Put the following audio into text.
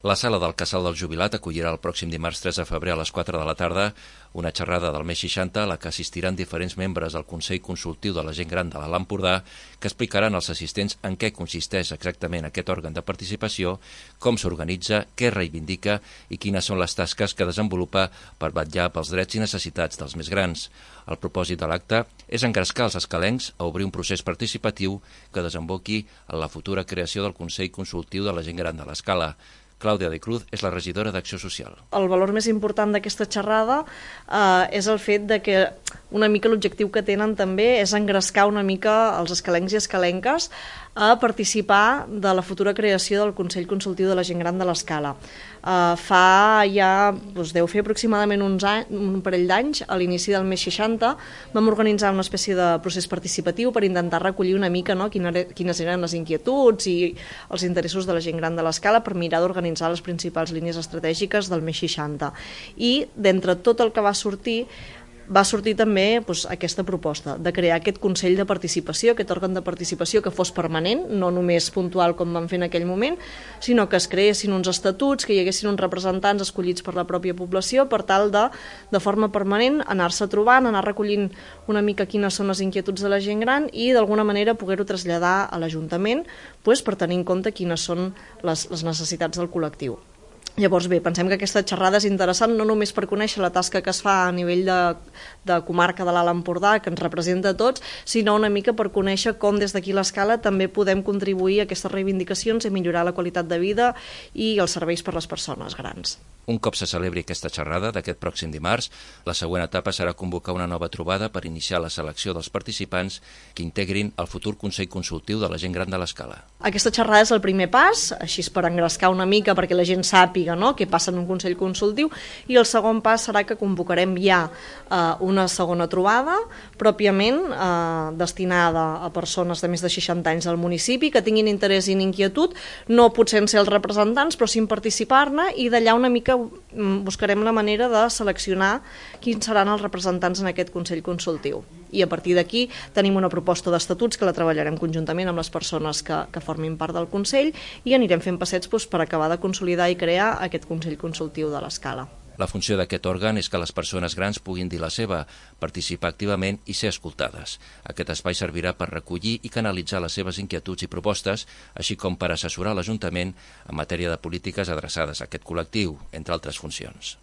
La sala del Casal del Jubilat acollirà el pròxim dimarts 3 de febrer a les 4 de la tarda una xerrada del mes 60 a la que assistiran diferents membres del Consell Consultiu de la Gent Gran de l'Alt Empordà que explicaran als assistents en què consisteix exactament aquest òrgan de participació, com s'organitza, què reivindica i quines són les tasques que desenvolupa per vetllar pels drets i necessitats dels més grans. El propòsit de l'acte és engrescar els escalencs a obrir un procés participatiu que desemboqui en la futura creació del Consell Consultiu de la Gent Gran de l'Escala. Clàudia de Cruz és la regidora d'Acció Social. El valor més important d'aquesta xerrada és el fet de que una mica l'objectiu que tenen també és engrescar una mica els escalencs i escalenques a participar de la futura creació del Consell Consultiu de la Gent Gran de l'Escala. Fa ja, deu fer aproximadament un parell d'anys, a l'inici del mes 60, vam organitzar una espècie de procés participatiu per intentar recollir una mica quines eren les inquietuds i els interessos de la gent gran de l'Escala per mirar d'organitzar les principals línies estratègiques del mes 60. I d'entre tot el que va sortir també aquesta proposta de crear aquest Consell de Participació, aquest òrgan de participació que fos permanent, no només puntual com vam fer en aquell moment, sinó que es creessin uns estatuts, que hi haguessin uns representants escollits per la pròpia població per tal de forma permanent anar-se trobant, anar recollint una mica quines són les inquietuds de la gent gran i d'alguna manera poder-ho traslladar a l'Ajuntament per tenir en compte quines són les necessitats del col·lectiu. Llavors bé, pensem que aquesta xerrada és interessant no només per conèixer la tasca que es fa a nivell de comarca de l'Alt Empordà, que ens representa a tots, sinó una mica per conèixer com des d'aquí l'Escala també podem contribuir a aquestes reivindicacions i millorar la qualitat de vida i els serveis per a les persones grans. Un cop se celebri aquesta xerrada d'aquest pròxim dimarts, la següent etapa serà convocar una nova trobada per iniciar la selecció dels participants que integrin el futur Consell Consultiu de la Gent Gran de l'Escala. Aquesta xerrada és el primer pas, així per engrescar una mica perquè la gent sàpiga què passa en un Consell Consultiu, i el segon pas serà que convocarem ja una segona trobada pròpiament destinada a persones de més de 60 anys del municipi que tinguin interès i inquietud, no potser en ser els representants, però sí en participar-ne, i d'allà una mica buscarem la manera de seleccionar quins seran els representants en aquest Consell Consultiu. I a partir d'aquí tenim una proposta d'estatuts que la treballarem conjuntament amb les persones que formin part del Consell i anirem fent passets per acabar de consolidar i crear aquest Consell Consultiu de l'Escala. La funció d'aquest òrgan és que les persones grans puguin dir la seva, participar activament i ser escoltades. Aquest espai servirà per recollir i canalitzar les seves inquietuds i propostes, així com per assessorar l'Ajuntament en matèria de polítiques adreçades a aquest col·lectiu, entre altres funcions.